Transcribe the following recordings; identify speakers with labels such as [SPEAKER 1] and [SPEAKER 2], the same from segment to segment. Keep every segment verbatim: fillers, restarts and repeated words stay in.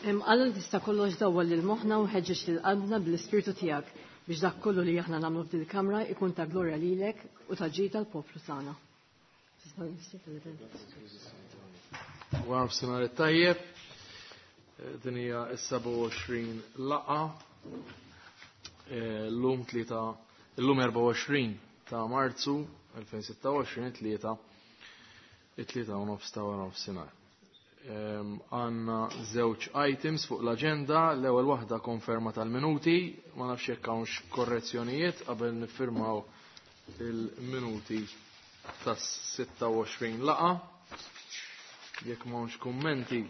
[SPEAKER 1] Alla li tista' kollox dawwal lil moħħna u ħeġġeġ lil qalbna bl-Ispirtu tiegħek biex dak kollu li aħna nagħmlu f'dil kamra ikun ta' glorja lilek u ta' ġid tal-poplu tagħna.
[SPEAKER 2] Wara nofsinhar it-tajjeb, din hija s-sebgħa u għoxrin laqgħa. Llum tlieta, illum erbgħa u għoxrin ta' Marzu elfejn sitta u għoxrin, tlieta, it-tlieta u nofs ta' wara nofsinhar. Għanna żewġ items fuq l-aġenda, l-ewwel waħda konferma tal-minuti, ma nafx jekk hawnx korrezzjonijiet qabel niffirmaw il-minuti tas-sitta u għoxrin laqgħa. Jekk m'hawnx kummenti,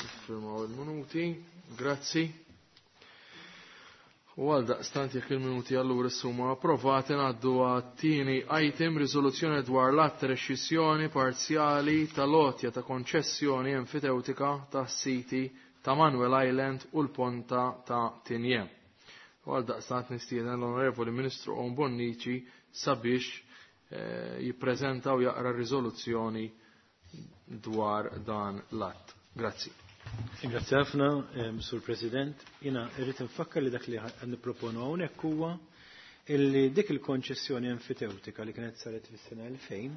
[SPEAKER 2] niffirmaw il-minuti. Grazzi. U għal daqstant jekk il-minuti allura huma approvati ngħaddu għat-tieni item, riżoluzzjoni dwar l-att rescissjoni parzjali tal-għotja ta' konċessjoni enfitewtika tas-siti ta' Manuel Island u l-Ponta ta' Tinje. U għal daqstant nistieden l-Onorevoli Ministru Owen Bonnici sabiex, eh, jippreżenta u jaqra riżoluzzjoni dwar dan l-att. Grazzi.
[SPEAKER 3] Grazie ħafna, ehm, Sur President. Jina irrid nfakkar li dak li qed nipproponu hawnhekk huwa illi dik il-konċessjoni enfitewtika li kienet saret fis-sena elfejn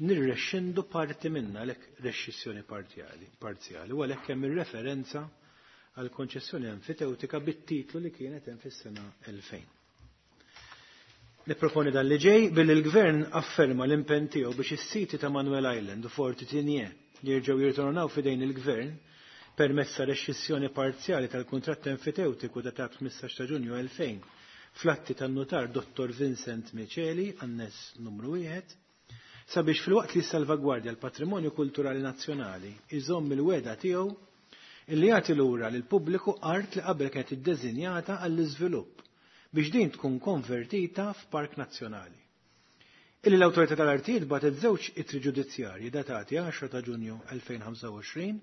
[SPEAKER 3] nirrexxindu parti minna għalhekk rexxissjoni parzjali, parzjali u għalhekk hemm ir-referenza għal konċessjoni enfitewtika bit-titlu li kienet hemm fis-sena elfejn. Nipproponi dan li ġej billi l-Gvern afferma l-impenn tiegħu biex is-siti ta' Manuel Island u Forti Tinje li jerġgħu jirtornaw f'idejn il-Gvern permezz ta' rexxissjoni parzjali tal-kuntratt enfitewtiku datat ħmistax ta' Ġunju elfejn fl-atti tan-nutar Dottor Vincent Miceli, annes numru wieħed, sabiex filwaqt li salvagwardja l-patrimonju kulturali nazzjonali iżomm il-weda tiegħu illi jagħti lura lil pubbliku art li qabel kienet iddeżinjata għall-iżvilupp biex din tkun konvertita f'park nazzjonali. Illi l-Awtorità tal-Artijiet bagħtet żewġ ittri ġudizzjarji datati għaxra ta' Ġunju elfejn ħamsa u għoxrin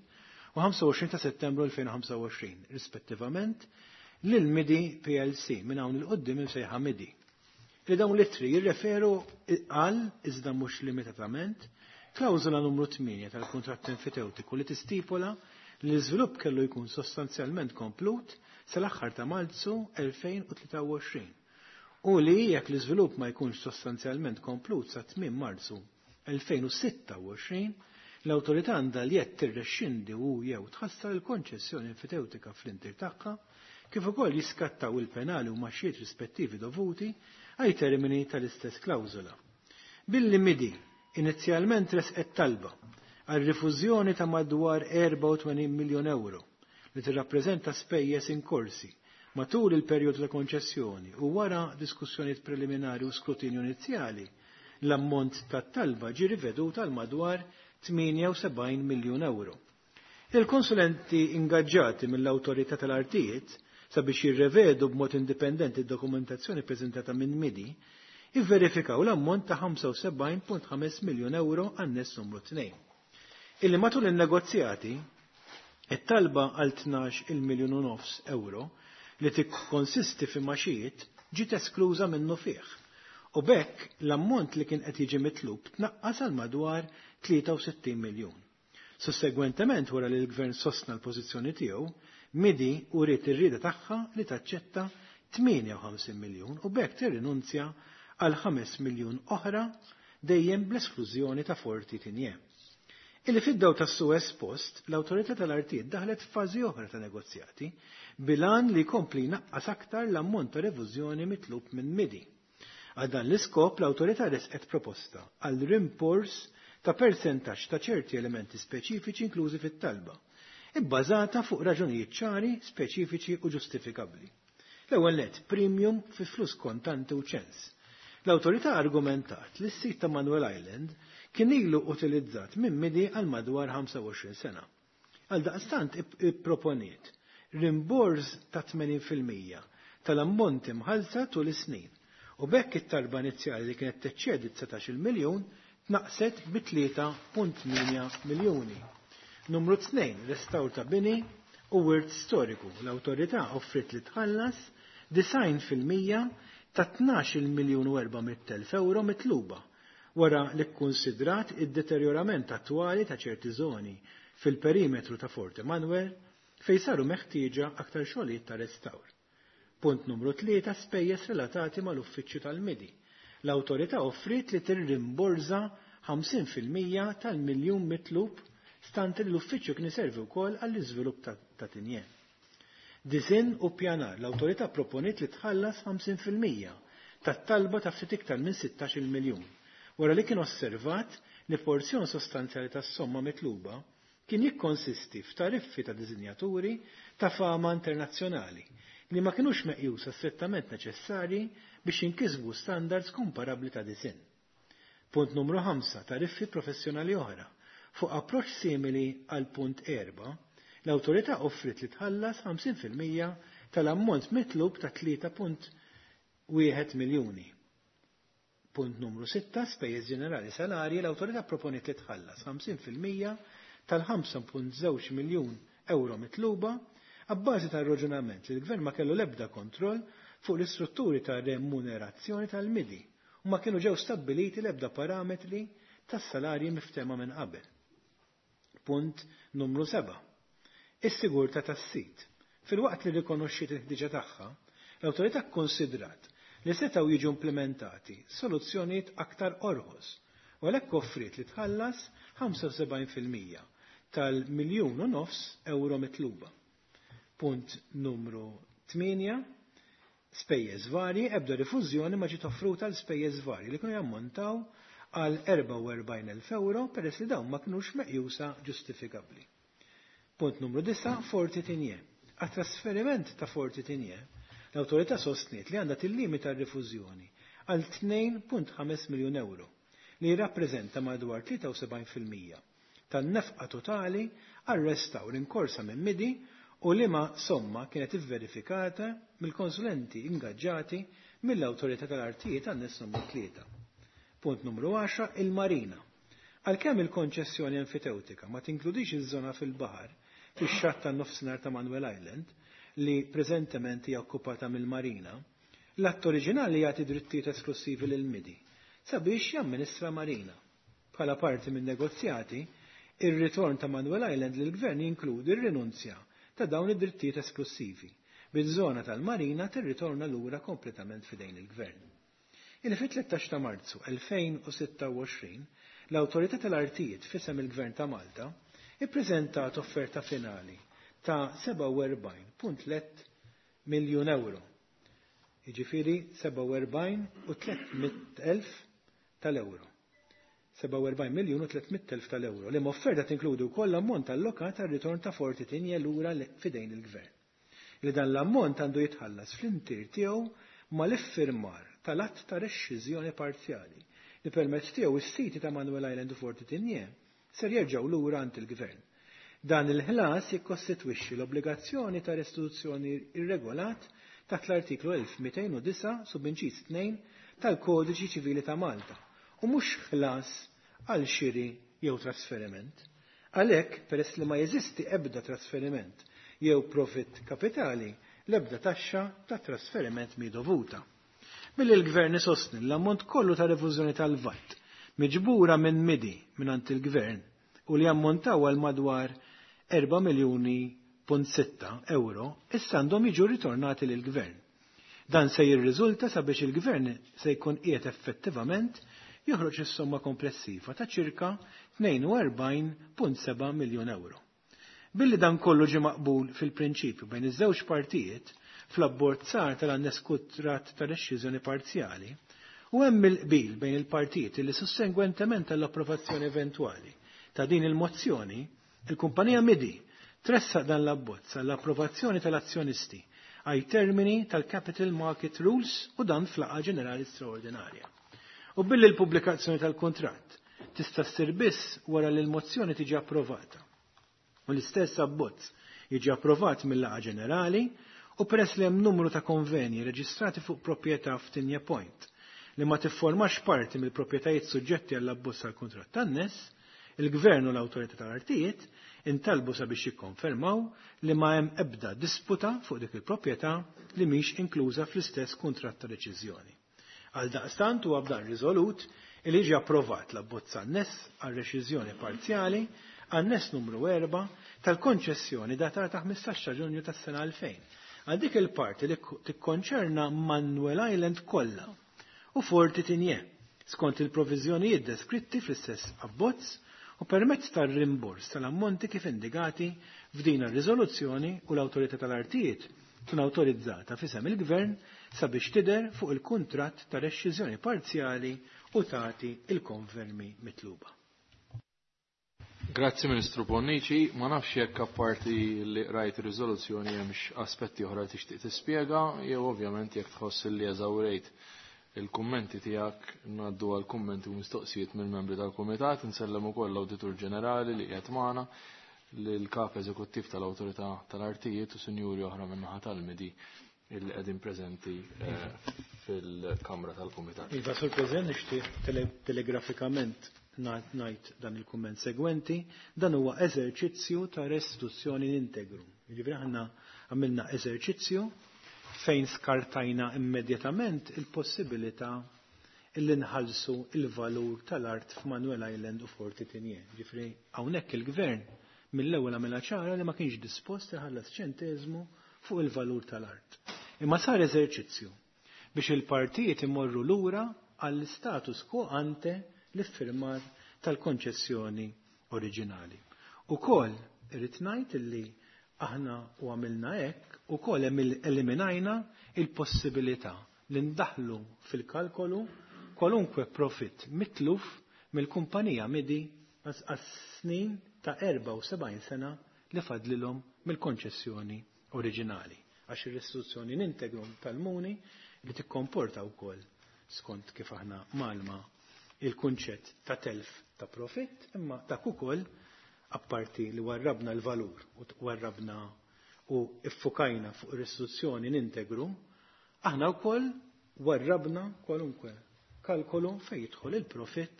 [SPEAKER 3] u ħamsa u għoxrin ta' Settembru elfejn ħamsa u għoxrin, rispettivament, lil Midi P L C minn hawn il-qudiem imsejħa Midi. Li dawn l-ittri jirreferu għal, iżda mhux limitatament, klawżola numru tmienja tal-kuntratt enfitewtiku li tistipola li l-iżvilupp kellu jkun sostanzjalment komplut sal-aħħar ta' Marzu elfejn u tlieta u għoxrin u li jekk l-iżvilupp ma jkunx sostanzjalment komplut sa tmiem Marzu elfejn u sitta u għoxrin, l-awtorità għandha li qed tirrexxindi u jew tħassar il-konċessjoni enfitewtika fl-intir tagħha, kif ukoll jiskattaw il-penali u maxxiet rispettivi dovuti għaj termini tal-istess klawżola. Billi Midi inizjalment resqet talba għal rifużjoni ta' madwar erbgħa u tmenin miljun euro li tirrappreżenta spejjeż inkorsi matul il-perjodu ta' konċessjoni u wara diskussjonijiet preliminari u skrutinju inizjali, l-ammont tat-talba ġie rivedut għal madwar tmienja u sebgħin miljun euro. Il-konsulenti ingaġġati mill-Awtorità tal-Artijiet sabiex jirrevedu b'mod indipendenti d-dokumentazzjoni preżentata minn Midi, ivverifikaw l-ammont ta' ħamsa u sebgħin punt ħames miljun euro għan-ness numru tnejn. Illi matul in-negozjati, it-talba għal tnax il miljun u nofs euro li tikkonsisti fi maxijiet ġiet eskluża minnu fih. U b'hekk l-ammont li kien qed jiġi mitlub tnaqqas għal madwar tlieta u sittin miljun. Sussegwentement wara li l-Gvern sostna l-pożizzjoni tiegħu, Midi uriet ir-rieda tagħha li taċċetta tmienja u ħamsin miljun u b'hekk tirrinunzja għal ħames miljun oħra dejjem bl-esklużjoni ta' Forti Tinje. Illi fid-daw tas-Suez Post, l-Awtorità tal-Artijiet daħlet f'fażi oħra ta' negozjati bilan li jkompli jnaqqas aktar l-ammont ta' revużjoni mitlub minn Midi. Għal dan l-iskop, l-Awtorità resqet proposta għal rimbors ta' persentaġġ ta' ċerti elementi speċifiċi inklużi fit-talba, ibbażata fuq raġunijiet ċari, speċifiċi u ġustifikabbli. L-ewwel nett, premium fi flus kontanti u ċens. L-Awtorità argumentat li s-sit ta' Manuel Island kien ilu utilizzat minn Midi għal madwar ħamsa u għoxrin sena. Għal daqstant ipproponiet rimbors ta' tmenin fil-mija tal-ammonti mħallsa tul is-snin u b'hekk it-talba inizjali li kienet teċċedi dsatax-il miljun tnaqqset bi tlieta punt tmienja miljuni. Numru tnejn, restawr ta' bini u wirt storiku. L-awtorità offrit li tħallas disgħin fil-mija ta' tnax-il miljun u erba' mitt elf euro mitluba wara li kkunsidrat id-deterjorament attwali ta' ċerti żoni fil-perimetru ta' Fort Emanuel fejn saru meħtieġa aktar xogħlijiet ta' restawr. Punt numru tlieta, spejjeż relatati mal-uffiċċju tal-Midi. L-awtorità offriet li tirrimborża ħamsin fil-mija tal-miljun mitlub stante li l-uffiċċju kien iservi wkoll għall-iżvilupp ta', ta' Tigné. Disinn u pjanar, l-awtorità proponiet li tħallas ħamsin fil-mija tat-talba ta' ftit iktar minn sittax-il miljun, wara li kien osservat li porzjon sostanzjali tas-somma mitluba kien jikkonsisti f'tariffi ta' disinjaturi ta' fama internazzjonali li ma kinux meqjusa strettament neċessarji biex jinkisbu standards komparabbli ta' disinn. Punt numru ħamsa, tariffi professjonali oħra. Fuq approċċ simili għal punt erba', l-awtorità offrit li tħallas ħamsin fil-mija tal-ammont mitlub ta' tlieta punt wieħed miljuni. Punt numru sitta, spejjeż ġenerali salarji, l-awtorità proponiet li tħallas ħamsin fil-mija tal-ħamsa punt żewġ miljun euro mitluba abbażi tar-raġunament li l-gvern ma kellu l-ebda kontroll fuq l-istrutturi ta' remunerazzjoni tal-Midi u ma kienu ġew stabbiliti l-ebda parametri tas-salarji miftehma minn qabel. Punt numru seba'. Is-sigurtà tas-sit. Filwaqt li rikonoxxiet il-ħtiġa tagħha, l-awtorità kkonsidrat li setgħu jiġu implementati soluzzjonijiet aktar orħos u għalhekk offriet li tħallas ħamsa u sebgħin fil-mija tal-miljun u nofs euro mitluba. Punt numru tmienja, spejjeż varji, ebda rifużjoni ma ġiet offruta l spejjeż varji li kienu jammontaw għal erbgħa u erbgħin elf euro peress li dawn ma kinux meqjusa ġustifikabbli. Punt numru disa', Forti Tigné. Għat-trasferiment ta' Forti Tigné, l-awtorità sostniet li għandha tillimita r-rifużjoni għal tnejn punt ħames miljun euro li jirrappreżenta madwar tlieta u sebgħin fil-mija tan-nefqa totali għal restawr inkorsa minn Midi u liema somma kienet ivverifikata mill-konsulenti ingaġġati mill-awtorità tal-artijiet għan-nies numru tlieta. Punt numru għaxra, il-Marina. Għalkemm il-konċessjoni enfitewtika ma tinkludix iż-żona fil-baħar fix-xatt tan-nofsinhar ta' Manuel Island li preżentement hija okkupata mill-Marina, l-att oriġinali jagħti drittijiet esklusivi lil Midi sabiex jamministra Marina. Bħala parti minn negozjati, ir-ritorn ta' Manuel Island lill-gvern jinkludi r-rinunzja ta' dawn id-drittijiet esklusivi, bil-żona tal-Marina tirritorna lura kompletament f'idejn il-gvern. Il fi tlettax ta' Marzu elfejn u sitta u għoxrin, l-Awtorità tal-Artijiet f'isem il-Gvern ta' Malta ippreżentat offerta finali ta' sebgħa u erbgħin punt tliet miljun euro. Jiġifieri sebgħa u erbgħin u tliet mitt elf tal-euro. sebgħa u erbgħin miljun u tliet mitt elf tal-euro. Li offerta tinkludi wkoll l-ammont allokat għar-ritorn ta' Forti Tigné lura f'idejn il-Gvern. Li dan l-ammont għandu jitħallas fl-intier tiegħu mal-iffirmar tal-att ta' rexxiżjoni parzjali li permezz tiegħu is-siti ta' Manuel Island u Forti Tigné ser jerġgħu lura għand il-Gvern. Dan il-ħlas jikkostitwixxi l-obbligazzjoni ta' restituzzjoni irregolat taħt l-artiklu elf mitejn u disa' subinċiż tnejn tal-Kodiċi Ċivili ta' Malta u mhux ħlas għal xiri jew trasferiment. Għalhekk, peress li ma jeżisti ebda trasferiment jew profit kapitali, l-ebda taxxa ta' trasferiment mi dovuta. Billi l-Gvern isostni l-ammont kollu ta' rifużjoni tal-V A T miġbura minn Midi mingħand il-Gvern u li ammontaw għal madwar erba' miljuni punt sitta euro issa għandhom jiġu ritornati lill-Gvern. Dan se jirriżulta sabiex il-Gvern se jkun qiegħed effettivament joħroġ is-somma komplessiva ta' ċirka tnejn u erbgħin punt seba' miljun euro. Billi dan kollu ġie maqbul fil-prinċipju bejn iż-żewġ partijiet fl-abbozzar tal-annes kuntratt ta' rexxiżjoni parzjali u hemm il-qbil bejn il-partijiet li sussegwentement għall-approvazzjoni eventwali ta' din il-mozzjoni, il-kumpanija Midi tressaq dan l-abbozz għall-approvazzjoni tal-azzjonisti għaj termini tal-Capital Market Rules u dan fl-laqgħa ġenerali straordinarja. U billi l-pubblikazzjoni tal-kuntratt tista' ssir biss wara li l-mozzjoni tiġi approvata. U l-istess abbozz jiġi approvat mill-laqgħa ġenerali u peress li hemm numru ta' konvenji reġistrati fuq proprjetà f'Tigné Point li ma tifformax parti mill-proprjetajiet suġġetti għall-abbozz tal-kuntratt tan-nies, Il-Gvern u l-Awtorità tal-Artijiet intalbu sabiex jikkonfermaw li ma hemm ebda disputa fuq dik il-proprjetà li mhix inkluża fl-istess kuntratt ta' reċiżjoni. Għal daqstant huwa b'dan riżolut li ġie approvat l-abbozz anness għal reċiżjoni parzjali anness numru erba' tal-konċessjoni datata ħmistax ta' Ġunju tas-sena elfejn għal dik il-parti li tikkonċerna Manuel Island kollha u Forti Tigné skont il-proviżjonijiet deskritti fl-istess abbozz u permezz tar-rimbors tal-ammonti kif indikati f'din ir-riżoluzzjoni u l-Awtorità tal-Artijiet tkun awtorizzata f'isem il-Gvern sabiex tidher fuq il-kuntratt ta' rexxiżjoni parzjali u tagħti il-konfermi mitluba.
[SPEAKER 2] Grazzi Ministru Bonnici, ma nafx jekk apparti li rajt ir-riżoluzzjoni hemmx aspetti oħra li tixtieq tispjega, jew ovvjament jekk tħoss li eżawrejt il-kummenti tiegħek ngħaddu għal kummenti u mistoqsijiet mill-membri tal-Kumitat, insellem ukoll l-Awditur Ġenerali li qiegħed magħna, lill-Kap Eżekuttiv tal-Awtorità tal-Artijiet u sinjuri oħra min-naħa tal-Midi illi qegħdin preżenti fil-Kamra tal-Kumitat.
[SPEAKER 3] Iva, Sur President, nixtieq telegrafikament ngħid dan il-kumment segwenti, dan huwa eżerċizzju ta' restituzzjoni integru. Jiġifieri aħna għamilna eżerċizzju fejn skartajna immedjatament il-possibilità illi nħallsu il-valur tal-art f'Manuel Island u Forti Tigné. Ġifieri hawnhekk il-Gvern mill-ewwel għamilha ċara li ma kienx dispost iħallas ċenteżmu fuq il-valur tal-art. Imma sar eżerċizzju biex il-partijiet imorru lura għall-status quo ante l-iffirmar tal-konċessjoni oriġinali. Ukoll irrid ngħid illi aħna u għamilna hekk ukoll eliminajna il-possibilità li ndaħlu fil-kalkolu kwalunkwe profitt mitluf mill-kumpanija Midi għas-snin ta' erbgħa u sebgħin sena li fadlilhom mill-konċessjoni oriġinali. Għax ir-restituzzjoni nintegrum tal-muni li tikkomporta wkoll skont kif aħna malma il-kunċett ta' telf ta' profitt, imma dak ukoll apparti li warrabna l-valur u warrabna u iffukajna fuq ir-restituzzjoni nintegru, aħna wkoll warrabna kwalunkwe kalkolu fejn jidħol il-profitt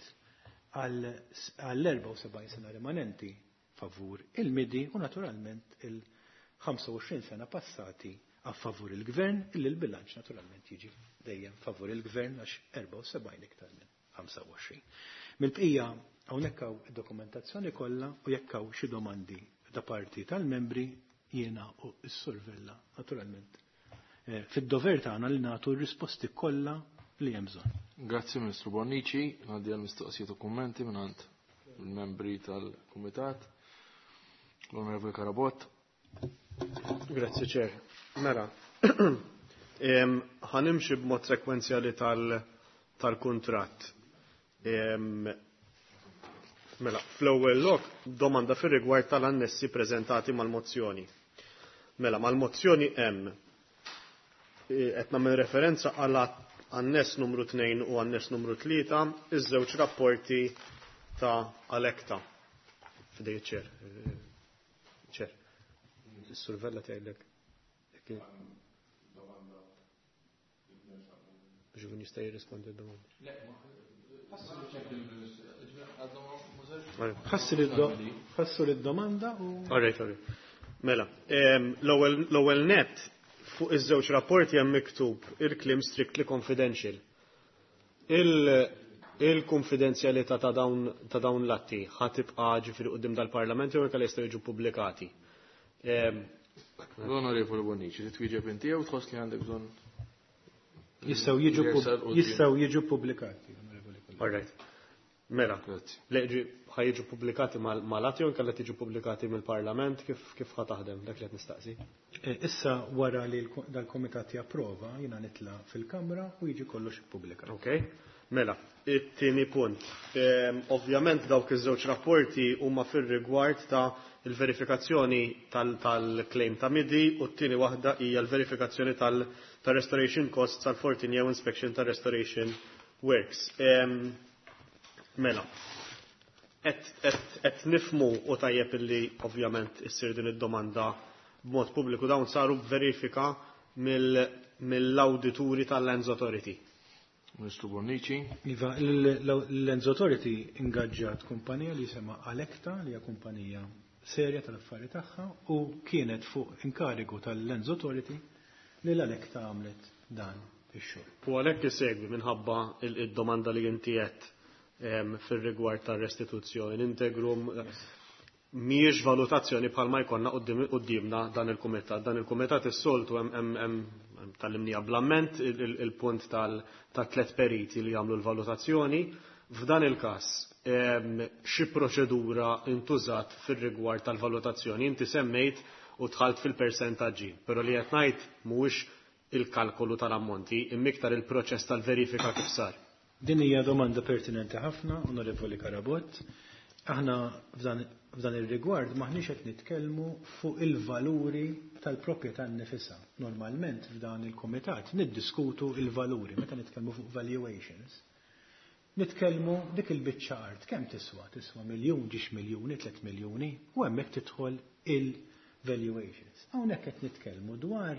[SPEAKER 3] għall-erbgħa u sebgħin sena rimanenti favur il-Midi u naturalment il-ħamsa u għoxrin sena passati a favur il-Gvern, illi l-bilanċ naturalment jiġi dejjem favur il-Gvern għax erbgħa u sebgħin iktar minn ħamsa u għoxrin. Mill-bqija hawnhekk hawn id-dokumentazzjoni kollha u jekk hawn xi domandi da parti tal-membri jiena u s-Sur Vella naturalment fid-dover tagħna li nagħtu r-risposti kollha li hemm bżonn.
[SPEAKER 2] Grazzi Ministru Bonnici, ngħaddi għal mistoqsijiet u kummenti mingħand il-membri tal-Kumitat. L-Onorevoli Carabott.
[SPEAKER 4] Grazzi Ċer. Mela, ħanimxi b'mod sekwenzjali tal-kuntratt. Mela, fl-ewwel lok domanda fir-rigward tal-annessi preżentati mal-mozzjoni. Mela, mal-mozzjoni hemm qed nagħmel referenza għal anness numru tnejn u anness numru tlieta, iż-żewġ rapporti ta' Alecta. Fidej ċer. Ċer. Is-survella tgħidlek. Biex ikun jista' jirrispondi d-domanda.
[SPEAKER 3] Ħassu lid-domanda u.
[SPEAKER 4] All right, all right. Mela, l-ewwel net fuq iż-żewġ rapporti hemm miktub il-kliem strictly confidential. Il-konfidenzjalità ta' dawn ta' dawn l-atti ħa tibqa' ġifieri quddiem dal-Parlament jew inkella jistgħu jiġu pubblikati.
[SPEAKER 2] L-Onorevoli Bonnici, titwieġeb inti jew tħoss li għandek bżonn?
[SPEAKER 3] Jistgħu jiġu jistgħu jiġu pubblikati, Onorevoli Collega.
[SPEAKER 4] All right. Mela, ħa jiġu pubblikati mal-atti jew inkella tiġu pubblikati mill-Parlament, kif kif ħa taħdem dak li qed nistaqsi?
[SPEAKER 3] Issa wara li dal-Komitat japprova jiena nitla' fil-Kamra u jiġi kollox ippubblikat.
[SPEAKER 4] Ok. Mela, it-tieni punt. Ovvjament dawk iż-żewġ rapporti huma fir-rigward ta' il-verifikazzjoni tal-claim ta' Midi u t-tieni waħda hija l-verifikazzjoni tal-restoration costs tal-fourteen year inspection tal-restoration works. Mela, qed nifmu u tajjeb illi ovvjament issir din id-domanda b'mod pubbliku dawn saru verifika mill-awdituri tal-Lands Authority.
[SPEAKER 2] Ministru Bonnici.
[SPEAKER 3] Iva, l-Lands Authority ingaġġat kumpanija li jisimha Alecta, li hija kumpanija serja tal-affari tagħha, u kienet fuq inkarigu tal-Lands Authority li l-Alecta għamlet dan ix-xogħol.
[SPEAKER 4] U għalhekk isegwi minħabba il-domanda li inti qed fir-rigward tar-restituzzjoni integrum mhijiex valutazzjoni bħalma jkollna quddiemna dan il-kumitat. Dan il-kumitat is-soltu hemm tal-imnija bl-amment il-punt tal-tlet periti li jagħmlu l-valutazzjoni. F'dan il-każ xi proċedura intużat fir-rigward tal-valutazzjoni? Inti semmejt u dħalt fil-persentaġġi, però li qed ngħid mhuwiex il-kalkolu tal-ammonti, imma iktar il-proċess tal-verifika kif sar.
[SPEAKER 3] Din hija domanda pertinenti ħafna, Onorevoli Karabott. Aħna f'dan ir-rigward maħniex qed nitkellmu fuq il-valuri tal-proprjetà nnifisha. Normalment f'dan il-kumitat niddiskutu il-valuri meta nitkellmu fuq valuations. Nitkellmu dik il-biċċa art kemm tiswa? Tiswa miljun, ġiex miljuni, tliet miljuni, u hemmhekk tidħol il-valuations. Hawnhekk qed nitkellmu dwar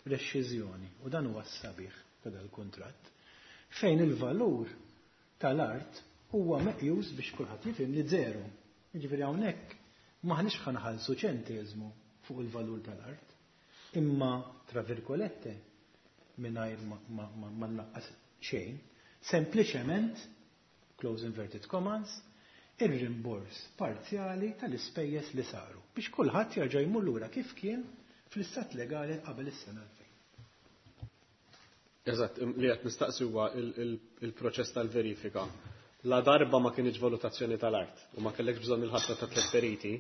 [SPEAKER 3] rexxiżjoni, u dan huwa s-sabiħ ta' dal-kuntratt, fejn il-valur tal-art huwa meqjus biex kulħadd jifhem li zero. Jiġifieri hawnhekk maħniex ħanħallsu ċenteżmu fuq il-valur tal-art, imma tra virgolette mingħajr ma nnaqqas xejn, sempliċement, close inverted commas, ir-rimbors parzjali tal-ispejjeż li saru biex kulħadd jerġa' jmur lura kif kien fl-istat legali qabel is-sena elfejn.
[SPEAKER 4] Eżatt, li qed nistaqsi huwa il-proċess tal-verifika. La darba ma kienx valutazzjoni tal-art u ma kellekx bżonn il-ħatra ta' tliet periti,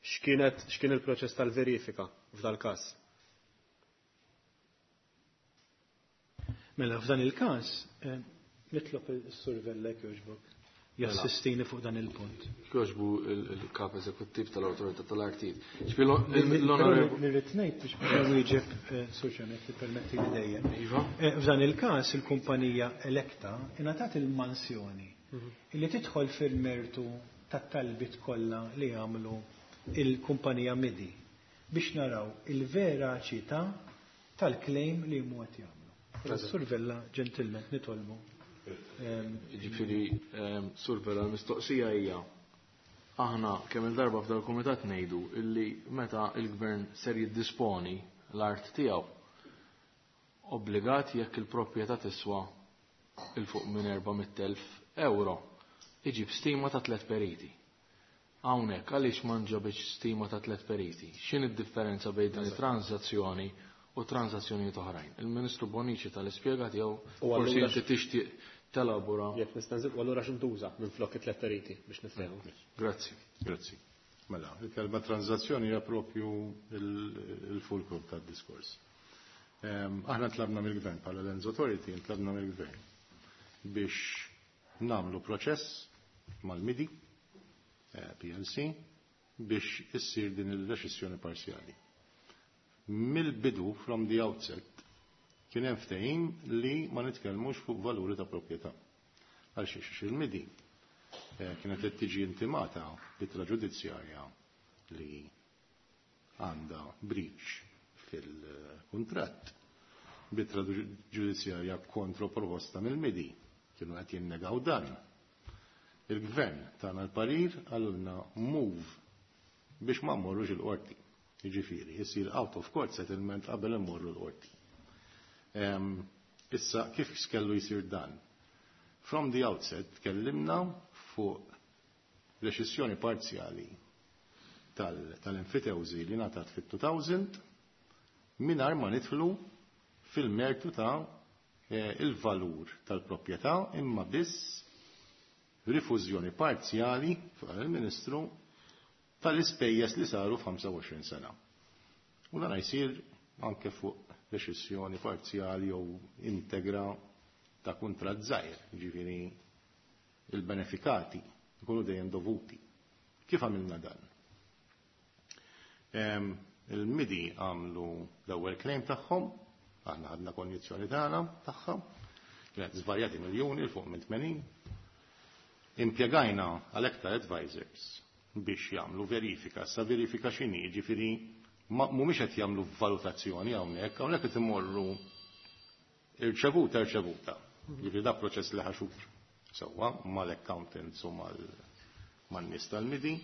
[SPEAKER 4] x'kienet x'kien il-proċess tal-verifika f'dal każ?
[SPEAKER 3] Mela f'dan il-każ nitlob is-Sur Vella jogħġbok jassistini fuq dan il-punt.
[SPEAKER 2] Jogħġbu il-kap eżekuttiv tal-Awtorità tal-Artijiet.
[SPEAKER 3] Nirrid ngħid biex nwieġeb Sur Ġanet li permetti li dejjem. F'dan il-każ il-kumpanija Electa ingħatat il-mansjoni li tidħol fil-mertu tat-talbiet kollha li jagħmlu il-kumpanija Midi biex naraw il-veraċità tal-claim li huma qed jagħmlu. Sur Vella ġentilment nitolbu.
[SPEAKER 2] Ġifieri, Sur Vella, l-mistoqsija hija aħna kemm il-darba f'dal kumitat ngħidu illi meta il-gvern ser jiddisponi l-art tiegħu obbligat jekk il-proprjetà tiswa il fuq minn erba' mitt elf euro iġib stima ta' tliet periti. Hawnhekk għaliex ma nġabitx stima ta' tliet periti? X'in id-differenza bejn din it-transazzjoni u transazzjonijiet oħrajn? Il-Ministru Bonnici tal-ispjega tiegħu forsi inti tixtieq telabora.
[SPEAKER 4] Jekk nista' nżid, u allura x'intuża minn flok it-tliet periti biex nifhmu.
[SPEAKER 2] Grazzi.
[SPEAKER 5] Grazzi. Mela, il-kelma transazzjoni hija propju il-fulcrum tad-diskors. Aħna tlabna mill-gvern bħala Lands Authority, tlabna mill-gvern biex nagħmlu proċess mal-MIDI P L C biex issir din il-reċessjoni parzjali. Mill-bidu, from the outset, kien hemm ftehim li ma nitkellmux fuq valuri ta' proprjetà. Għal xiex il-MIDI kienet qed tiġi intimata bitra ġudizzjarja li għandha breach fil-kuntratt, bitra ġudizzjarja kontra proposta mill-MIDI, kienu qed jinnegaw dan. Il-gvern tagħna l-parir għalulna move biex ma mmorrux il-qorti. Jiġifieri, jsir out of court settlement qabel immorru l-qorti. Issa, kif kellu jsir dan? From the outset, tkellimna fuq reċessjoni parzjali tal-enfitewżi li ngħatat fit-two thousand mingħajr ma nidħlu fil-mertu ta' il-valur tal-proprjetà imma biss rifużjoni parzjali fuq il-Ministru tal-ispejjeż li saru f'ħamsa u għoxrin sena. U dan jsir anke fuq reċessjoni parzjali jew integra ta' kuntratt żgħir, jiġifieri il-benefikati jkunu dejjem dovuti. Kif għamilna dan? Il-MIDI għamlu l-ewwel claim tagħhom, aħna ħadna konjizzjoni tagħna tagħha, kienet żvarjati miljuni l fuq minn tmenin. Impjegajna Alecta Advisors biex jagħmlu verifika, sa verifika x'inhi, jiġifieri mhumiex qed jagħmlu valutazzjoni hawnhekk, hawnhekk qed imorru irċevuta irċevuta. Jiġifieri da proċess li ħaxur sewwa mal-accountants u man-nies tal-M I D I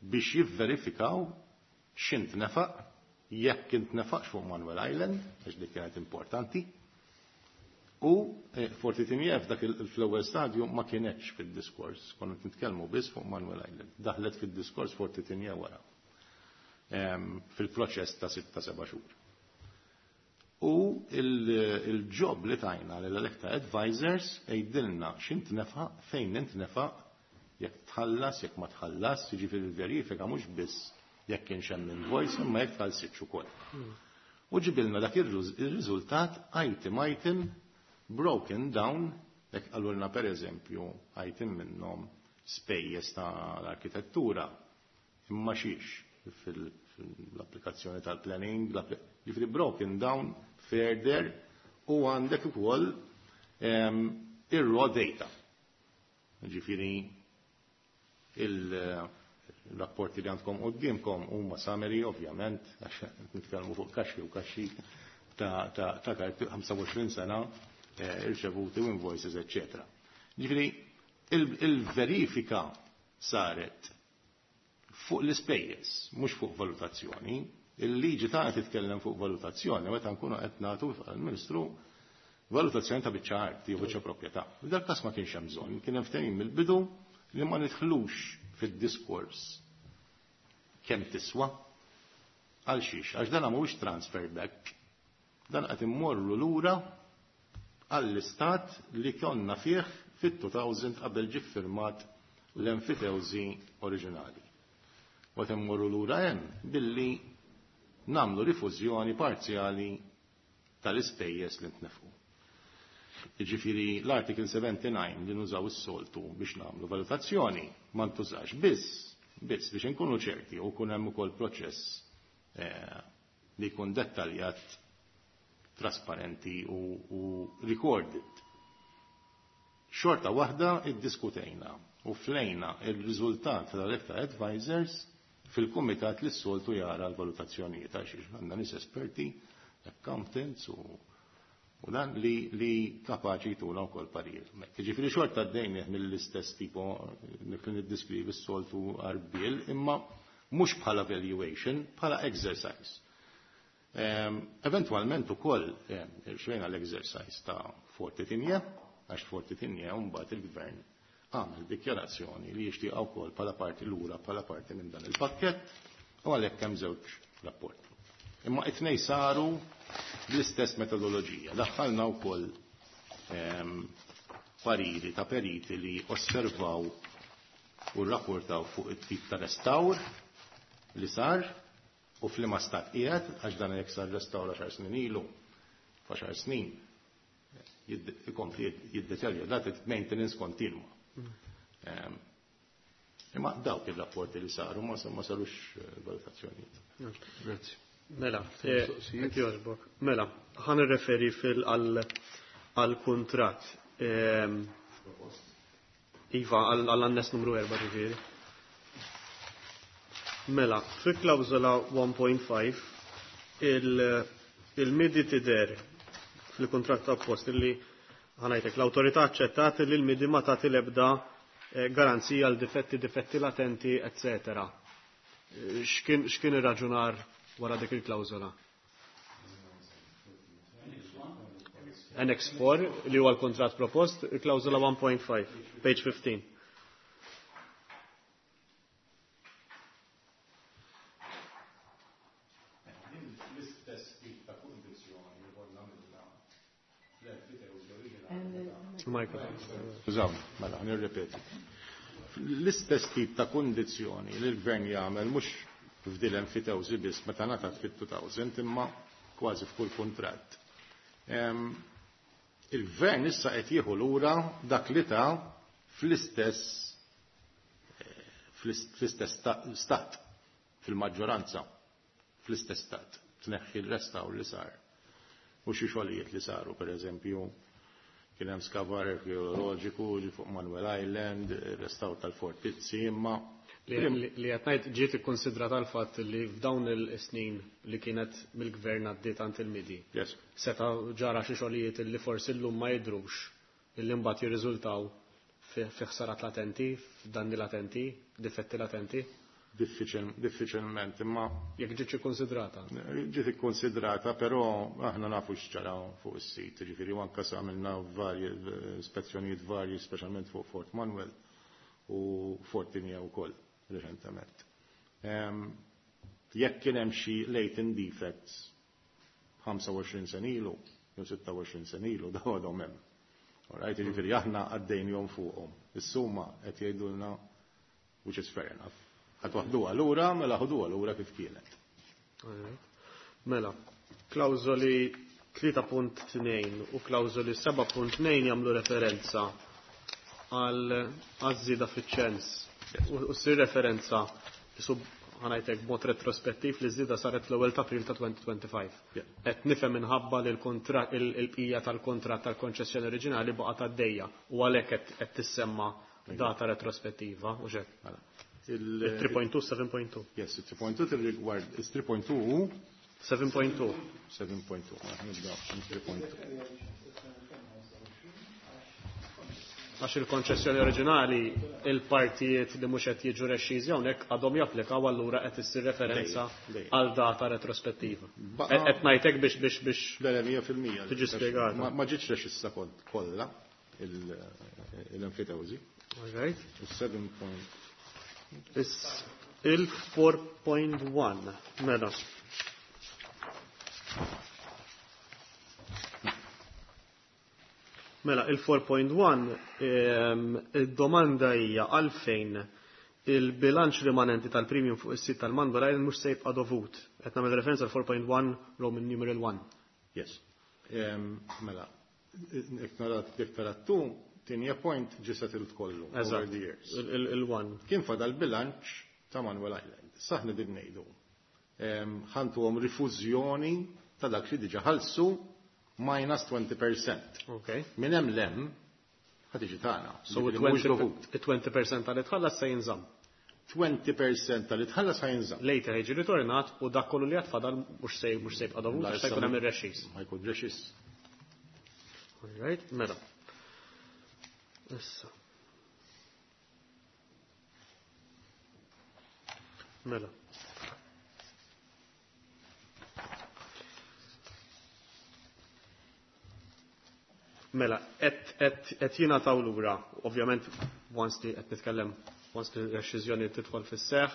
[SPEAKER 5] biex jivverifikaw x'intnefaq, jekk intnefaqx fuq Manuel Island, għax dik kienet importanti, u Forti Tigné f'dak fl-ewwel stadju ma kienetx fid-diskors, konna nitkellmu biss fuq Manuel Island. Daħlet fid-diskors Forti Tigné wara fil-proċess ta' sitta seba' xhur. U il-job li tajna l-Electa Advisors għidilna x'intnefaq, fejn intnefaq, jekk tħallas, jekk ma tħallas, jiġifieri l-verifika mhux biss jekk kienx hemm invoice, imma jekk tħallsitx ukoll. U ġibilna dak ir-riżultat item item broken down, jekk qalulna per eżempju item minnhom spejjeż tal-arkitettura, imma xiex fil-applikazzjoni tal-planning, jiġifieri broken down further, u għandek ukoll ir-raw data. Jiġifieri il-rapporti li għandkom quddiemkom huma summary ovvjament, għax nitkellmu fuq kaxxi u kaxxi ta' karti ħamsa u għoxrin sena irċevuti u invoices, eccetera. Jiġifieri il-verifika saret fuq l-ispejjeż, mhux fuq valutazzjoni. Il-liġi tagħna titkellem fuq valutazzjoni meta nkunu qed nagħtu għall-Ministru valutazzjoni ta' biċċa art jew biċċa proprjetà. F'dal każ ma kienx hemm bżonn, kien hemm ftehim mill-bidu li ma nidħlux fid-diskors kemm tiswa għal xiex, għax dan mhuwiex transfer back. Dan qed immorru lura għall-istat li konna fih fit-two thousand qabel ġie ffirmat l-enfitewżi oriġinali. U qed immorru lura hemm billi nagħmlu rifużjoni parzjali tal-ispejjeż li ntnefqu. Jiġifieri l-Article seventy-nine li nużaw is-soltu biex nagħmlu valutazzjoni ma ntużax biss, biss biex inkunu ċerti u jkun hemm ukoll proċess li jkun dettaljat, trasparenti u, u recorded. Xorta waħda iddiskutejna u flejna il-riżultat tal-Electa Advisors fil-kumitat li s-soltu jara l-valutazzjonijiet għax għandna nies esperti, accountants u, u dan li, li kapaċi jtuna wkoll parir. Jiġifieri xorta għaddejn mill-istess tipo li niddiskrivi s-soltu għarbiel, imma mhux bħala valuation, bħala exercise. Eventualment ukoll irxejna l-exercise ta' Forti Tigné, għax Forti Tigné mbagħad il-gvern għamel dikjarazzjoni li jixtieq wkoll bħala parti lura bħala parti minn dan il-pakkett u għalhekk hemm żewġ rapporti. Imma it-tnejn saru bl-istess metodoloġija. Daħħalna wkoll pariri ta' periti li osservaw u rrapportaw fuq it-tip ta' restawr li sar u f'liema stat qiegħed, għax dan jekk sar restawr għaxar snin ilu, f'għaxar snin ikompli jiddeterjora, dat maintenance kontinwa. Imma dawk ir-rapporti li saru ma sarux valutazzjonijiet.
[SPEAKER 2] Grazzi.
[SPEAKER 4] Mela, mela, ħan irreferi fil għal-kuntratt. Iva, għall-annes numru erba' ġifieri. Mela, fi klawżola one point five il-M I D I tidher fil-kuntratt appost li ħanajtek l-awtorità aċċettat li l-M I D I ma tagħti l-ebda garanzija għal difetti, difetti latenti, eccetera. X'kien ir-raġunar wara dik il-klawżola? Annex four li huwa l-kuntratt propost, il-klawżola one point five, page fifteen.
[SPEAKER 5] Skużawni, mela, nirrepeti. L-istess tip ta' kundizzjoni li l-gvern jagħmel mhux f'dil enfitewżi biss meta ngħatat fit-two thousand imma kważi f'kull kuntratt. Il-gvern issa qed jieħu lura dak li ta' fl-istess fl-istess stat, fil-maġġoranza, fl-istess stat, tneħħi l-restawr li sar. U xi xogħlijiet li saru, per eżempju, kien hemm skavar arkeoloġiku ġi fuq Manuel Island, restawr tal-fortizzi, imma
[SPEAKER 4] Li qed ngħid ġiet ikkonsidrata l-fatt li f'dawn il-snin li kienet mill-gvern għaddiet għand il-M I D I.
[SPEAKER 5] Yes.
[SPEAKER 4] Seta' ġara xi xogħlijiet li forsi llum ma jidhrux, illi mbagħad jirriżultaw fi ħsarat latenti, f'danni latenti, difetti latenti.
[SPEAKER 5] Diffiċilment, imma
[SPEAKER 4] Jekk ġietx ikkonsidrata.
[SPEAKER 5] Ġiet ikkonsidrata, però aħna nafu x'ġara fuq is-sit, ġifieri u anke għamilna varji ispezzjonijiet varji, speċjalment fuq Fort Manuel u Fort Tigné wkoll reċentement. Jekk kien hemm xi latent defects ħamsa u għoxrin sena ilu, jew sitta u għoxrin sena ilu, daw għadhom hemm. Alright, ġifieri aħna għaddejnihom fuqhom. Is-summa qed jgħidulna, which is fair enough. Ħa toħduha lura, mela ħuduha lura kif kienet.
[SPEAKER 4] Mela, klawżoli tlieta punt tnejn u klawżoli seba' punt tnejn jagħmlu referenza għal għaż-żieda fiċ-ċens. U ssir referenza sub ħa ngħidlek b'mod retrospettiv li żieda saret l-ewwel ta' April ta' elfejn u ħamsa u għoxrin. Qed nifhem minħabba li l-kontratt, il-bqija tal-kontratt tal-konċessjoni oriġinali baqgħet għaddejja u għalhekk qed tissemma data retrospettiva u xek. tlieta punt tnejn, seba' punt tnejn.
[SPEAKER 5] Yes, tlieta punt tnejn tirrigward, tlieta punt tnejn
[SPEAKER 4] seba' punt tnejn.
[SPEAKER 5] seba' punt tnejn, nibda tlieta punt tnejn.
[SPEAKER 4] Għax il-konċessjoni oriġinali, il-partijiet li mhux qed jiġu rexxiżi hawnhekk għadhom japplikaw, allura qed issir referenza għal data retrospettiva. Qed ngħidlek biex biex biex
[SPEAKER 5] Le, le, mija fil-mija.
[SPEAKER 4] Tiġi spjegata.
[SPEAKER 5] Ma ġietx rexissa kollha l-enfitewżi.
[SPEAKER 4] All right.
[SPEAKER 5] seba.
[SPEAKER 4] Il-erba' punt wieħed, mela. Mela, il-erba' punt wieħed, il-domanda hija għalfejn il-bilanċ rimanenti tal-premium fuq is-sit tal-Manuel Island mhux se jibqa' dovut. Qed nagħmel referenza għal erba' punt wieħed Roman numeral one.
[SPEAKER 5] Yes. Mela, jekk tara tu, Tigné Point ġie settled kollu over the years.
[SPEAKER 4] Il-one.
[SPEAKER 5] Kien fadal bilanċ ta' Manuel Island. Saħna din ngħidu. Ħa ntuhom rifużjoni ta' dak li diġà ħallsu minus twenty percent.
[SPEAKER 4] Okay.
[SPEAKER 5] Minn hemm 'l hemm ħa tiġi tagħna.
[SPEAKER 4] So il-twenty percent tal tħallas se jinżamm.
[SPEAKER 5] twenty percent tal tħallas ħa jinżamm.
[SPEAKER 4] Later jiġi ritornat u dak kollu li għad fadal mhux se mhux se jibqa' dovut għax se jkun hemm ir-rexxiż.
[SPEAKER 5] Ma jkun rexxiż.
[SPEAKER 4] All right, mela. Issa. Mela. Mela, qed jingħataw lura, ovvjament once li qed nitkellem once li r-rexxiżjoni tidħol fis-seħħ,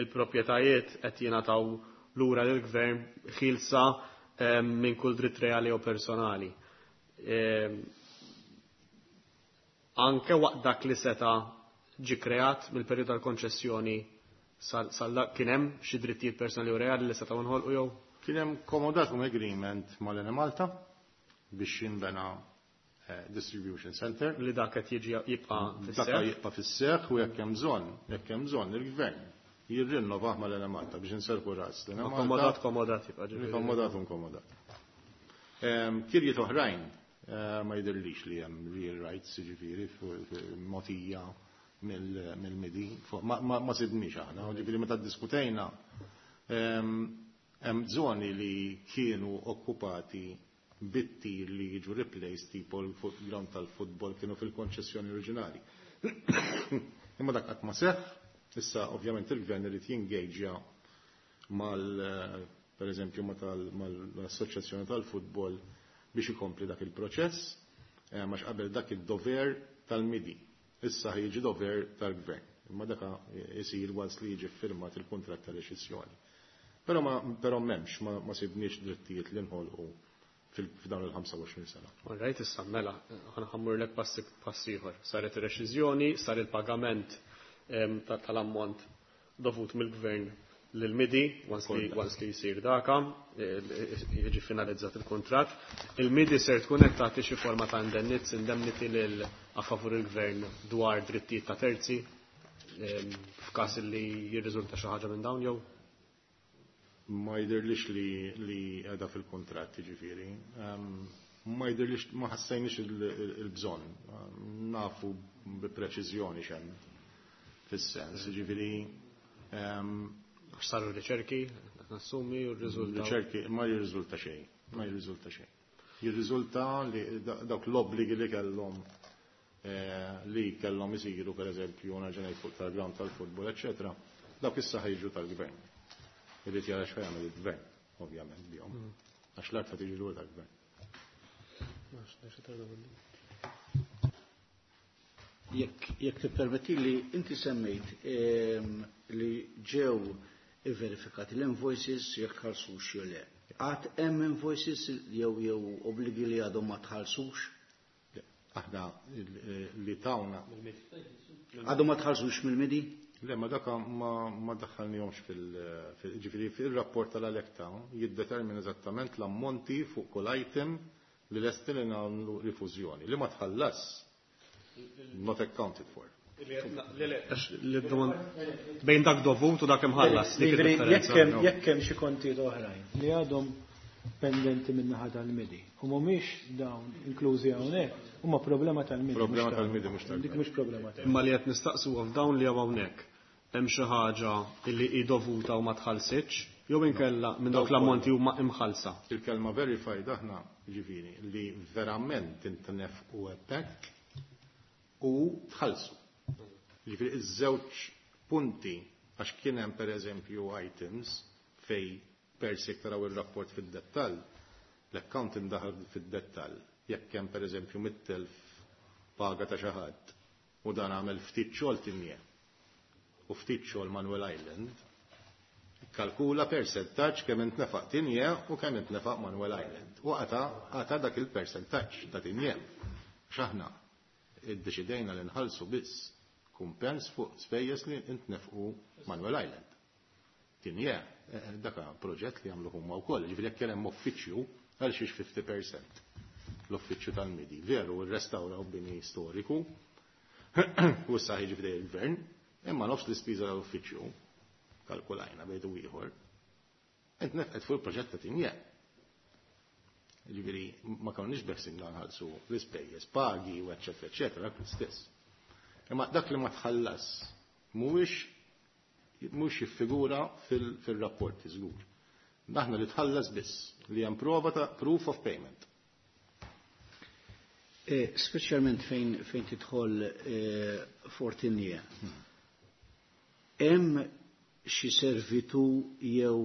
[SPEAKER 4] il-proprjetajiet qed jingħataw lura lill-gvern ħielsa minn kull dritt reali u personali. Anke waqt dak li seta ġi kreat mill-perjodu tal-konċessjoni sal kien hemm xi drittijiet personali u reali li setgħu nħolqu jew?
[SPEAKER 5] Kien hemm commodatum agreement mal-Enemalta biex jinbena eh, distribution center.
[SPEAKER 4] Li dak qed jiġi jibqa'
[SPEAKER 5] fis-seħħ. Dak jibqa' fis-seħħ u jekk hemm bżonn, jekk hemm bżonn il-gvern jirrinnovah mal-Enemalta biex inserrħu ras.
[SPEAKER 4] Kommodat, kommodat jibqa'
[SPEAKER 5] ġifieri. Kommodat, kommodat. Kirjiet oħrajn eh, ma jidhirlix li hemm real rights, ġifieri mogħtija mill-M I D I. Ma sibniex aħna, ġifieri meta ddiskutejna hemm żoni li kienu okkupati bitti li jiġu replaced, tipo l-ground tal-futbol, kienu fil-konċessjoni oriġinali. Imma dak qatt ma seħħ, issa ovvjament il-gvern irid jingaġġja mal per eżempju mal-assoċjazzjoni tal-futbol biex ikompli dak il-proċess, eh, għax qabel dak id-dover tal-M I D I. Issa jiġi dover tal-gvern. Imma daka jisir once li jiġi firmat il-kontratt tal-reċessjoni. Però ma però m'hemmx ma, ma sibniex drittijiet li nħolqu f'dawn il-ħamsa u għoxrin sena.
[SPEAKER 4] All right, issa mela, ħa mmurlek pass ieħor. Saret ir-reċiżjoni, sar il-pagament tal-ammont dovut mill-gvern lil-M I D I, once li once li jsir daka, jiġi finalizzat il-kontratt. Il-M I D I ser tkun qed tagħti xi forma ta' indennizz, indemnity lil a favur il-gvern dwar drittijiet ta' terzi f'każ li jirriżulta xi ħaġa minn dawn jew?
[SPEAKER 5] Ma jidhirlix li li għada fil-kontratt, ġifieri. Ma jidhirlix, ma ħassejniex il-bżonn. Nafu bi preċiżjoni x'hemm Fis-sens, ġifieri
[SPEAKER 4] għax saru riċerki, nassumi u r-riżulta.
[SPEAKER 5] Riċerki ma jirriżulta xejn, ma jirriżulta xejn. Jirriżulta li dawk l-obbligi li kellhom li kellhom isiru pereżempju nerġa' ngħid fuq tal-ground tal-futbol, eċetera, dawk issa ħejġu tal-gvern. Irid jara x'ħa jagħmel il-gvern, ovvjament bihom. Għax l-art ħa tiġi lura tal-gvern.
[SPEAKER 6] Jekk jekk tippermettili, inti semmejt li ġew ivverifikati l-invoices jekk tħallsux jew le. Għad hemm invoices jew jew obbligi li għadhom ma tħallsux?
[SPEAKER 5] Aħna li tawna.
[SPEAKER 6] Għadhom ma tħallsux mill-midi?
[SPEAKER 5] Le, ma daka ma daħħalnihomx fil ġifieri fil-rapport tal-Alecta jiddetermina eżattament l-ammonti fuq kull item li lesti li nagħmlu rifużjoni li ma tħallas not accounted for.
[SPEAKER 4] Bejn dak dovut u dak imħallas.
[SPEAKER 3] Jekk hemm xi kontijiet oħrajn li għadhom pendenti min-naħa tal-midi u mhumiex dawn inklużi hawnhekk, huma problema tal-midi.
[SPEAKER 5] Problema tal-midi mhux tal.
[SPEAKER 3] Dik mhux problema tal.
[SPEAKER 4] Imma li qed nistaqsu f'dawn li hawn hawnhekk hemm xi ħaġa li hi dovuta u ma tħallsitx jew inkella minn dawk l-ammonti huma imħallsa.
[SPEAKER 5] Il-kelma verified aħna ġifieri li verament intnefqu hemmhekk u tħallsu. Ġifieri iż-żewġ punti għax kien hemm pereżempju items fej per se taraw ir-rapport fid-dettall, l-accountant daħal fid-dettall, jekk hemm pereżempju mitt elf paga ta' xi ħadd u dan għamel ftit xogħol Tigné u ftit xogħol Manuel Island, kalkula percentaġġ kemm intnefaq Tigné u kemm intnefaq Manuel Island. U għata għata dak il-percentaġġ ta' Tigné. X'aħna iddeċidejna li nħallsu biss kumpens fuq spejjeż li intnefqu Manuel Island. Tigné, daka proġett li għamlu huma wkoll, ġifieri jekk kien hemm uffiċċju għal xiex fifty percent l-uffiċċju tal-midi. Veru, rrestawraw bini storiku u issa ħiġi f'dej il-gvern, imma nofs l-ispiża tal-uffiċċju kalkulajna bejdu ieħor. Int nefqet fuq il-proġett ta' Tigné. Ġifieri ma konniex beħsibna nħallsu l-ispejjeż, pagi u eċċetera eċċetera, dak l-istess. Imma dak li ma tħallas mhuwiex mhux jiffigura fil-rapporti żgur. Aħna li tħallas biss li hemm prova ta' proof of payment.
[SPEAKER 6] Speċjalment fejn fejn tidħol Fort Tigné. Hemm xi servitu jew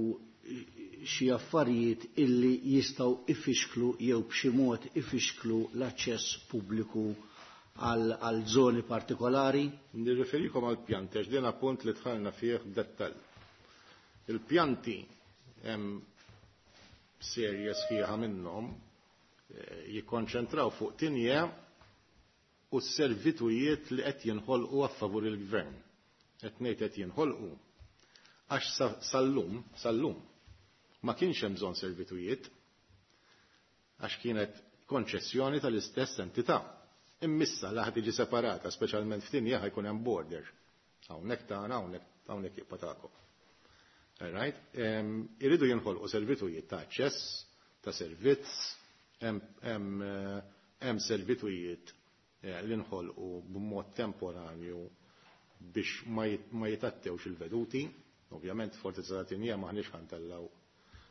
[SPEAKER 6] xi affarijiet illi jistgħu ifixklu jew b'xi mod ifixklu l-aċċess pubbliku għal żoni partikolari?
[SPEAKER 5] Nirriferikom għal pjanti, għax din appunt li dħalna fih b'dettall. Il-pjanti hemm serje sħiħa minnhom jikkonċentraw fuq Tigné u s-servitujiet li qed jinħolqu a favur il-gvern. Qed ngħid qed jinħolqu għax sal-lum, sal-lum ma kienx hemm bżonn servitujiet għax kienet konċessjoni tal-istess entità. Immissa la ħad tiġi separata, speċjalment f'Tigné ħajkun hemm border. Hawnhekk tagħna, hawnhekk hawnhekk jibqa' tagħkom. All right? Iridu jinħolqu servitujiet ta' aċċess, ta' servizz, hemm servitujiet li nħolqu b'mod temporanju biex ma jitattewx il-veduti. Ovvjament Fortizza ta' Tigné maħniex ħantellaw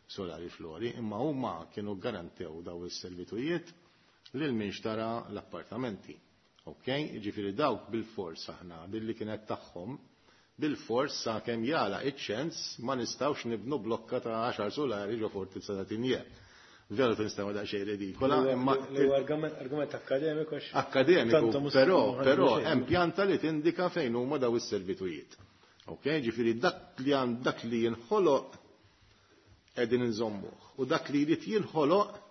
[SPEAKER 5] solari flori, imma huma kienu garantew daw is-servitujiet lil min xtara l-appartamenti. Ok? Ġifieri dawk bil-fors aħna billi kienet tagħhom, bil-fors sa kemm jala iċ-ċens ma nistgħux nibnu blokka ta' għaxar solari ġo Fortizza ta' Tigné. Veru tinstema daqsxejn ridikola, imma
[SPEAKER 3] argument akkademiku.
[SPEAKER 5] Akkademiku, però però hemm pjanta li tindika fejn huma daw is-servitujiet. Ok? Ġifieri dak li għand dak li jinħoloq qegħdin inżommuh u dak li jrid jinħoloq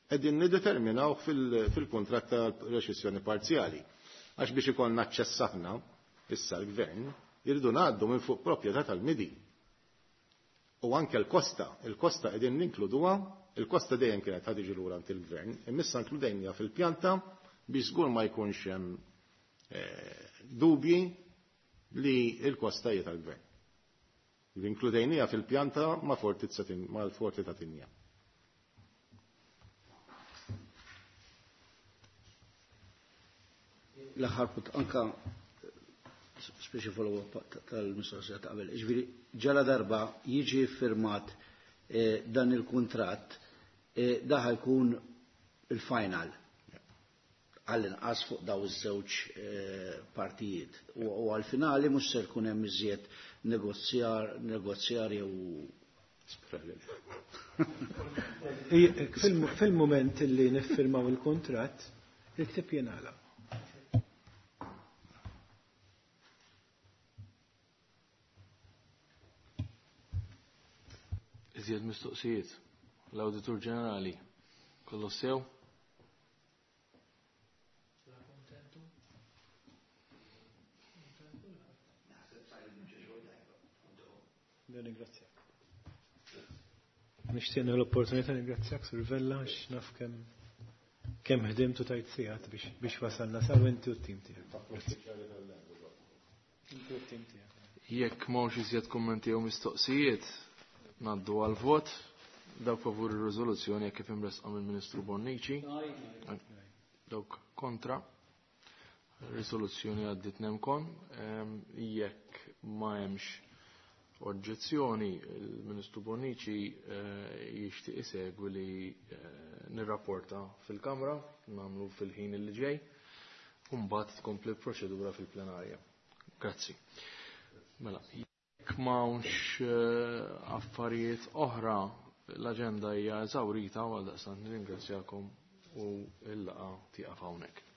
[SPEAKER 5] qegħdin niddeterminaw fil-kuntratt ta' reċessjoni parzjali. Għax biex ikollna aċċess aħna, issa l-gvern, irridu ngħaddu minn fuq proprjetà tal-midi. U anke l-kosta, il-kosta qegħdin ninkluduha, il-kosta dejjem kienet ħad tiġi lura għand il-gvern, imma inkludejnija fil-pjanta biex żgur ma jkunx hemm dubji li l-kosta hija tal-gvern. Inkludejnija fil-pjanta ma' fortizza mal-forti ta' Tigné.
[SPEAKER 6] L-aħħar punt anka Speċi follow-up tal-mistoqsija ta' qabel. Ġifieri ġala darba jiġi firmat eh, dan il-kuntratt, eh, da ħa jkun il-final għall-inqas fuq daw iż-żewġ eh, partijiet. U u għal-finali mhux se jkun hemm iżjed negozjar negozjar jew
[SPEAKER 3] Fil-moment li niffirmaw il-kuntratt, il-ktieb jingħalaq.
[SPEAKER 2] Iżjed mistoqsijiet. L-Awditur Ġenerali, kollu sew?
[SPEAKER 3] Nirringrazzjak. Nixtieq l-opportunità nirringrazzjak Sur Vella għax naf kemm kemm ħdimt u tajt sigħat biex biex wasalna saw inti u t-tim tiegħek. Inti u t-tim tiegħek.
[SPEAKER 2] Jekk m'hawnx iżjed kummenti jew mistoqsijiet, ngħaddu għal vot. Dawk favur ir-riżoluzzjoni jekk kif imresqa mill-Ministru Bonnici. Dawk kontra. Riżoluzzjoni għaddiet nemkon. Ehm, Jekk ma hemmx oġġezzjoni, il-Ministru Bonnici eh, jixtieq isegwi li eh, nirrapporta fil-Kamra, nagħmlu fil-ħin li ġej, u mbagħad tkompli l-proċedura fil-plenarja. Grazzi. Mela, jekk m'hawnx eh, affarijiet oħra, l-aġenda hija eżawrita, għal daqstant nirringrazzjakom u l-laqgħa tieqaf hawnhekk.